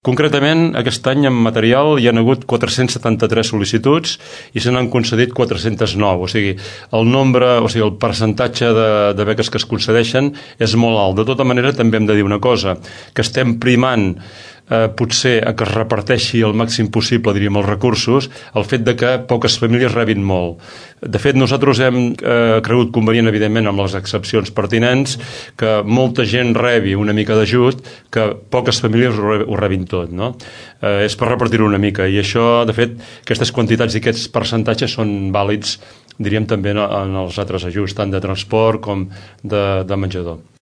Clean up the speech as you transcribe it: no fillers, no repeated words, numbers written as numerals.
Concretament, aquest any en material hi ha hagut 473 sol·licituds i se n'han concedit 409, o sigui, el percentatge de beques que es concedeixen és molt alt. De tota manera, també hem de dir una cosa, que estem primant potser que es reparteixi el màxim possible, diríem, els recursos, el fet de que poques famílies rebin molt. De fet, nosaltres hem cregut convenient, evidentment, amb les excepcions pertinents, que molta gent rebi una mica d'ajut, que poques famílies ho rebin tot, no? És per repartir-ho una mica, i això, de fet, aquestes quantitats i aquests percentatges són vàlids, diríem, també en els altres ajuts, tant de transport com de menjador.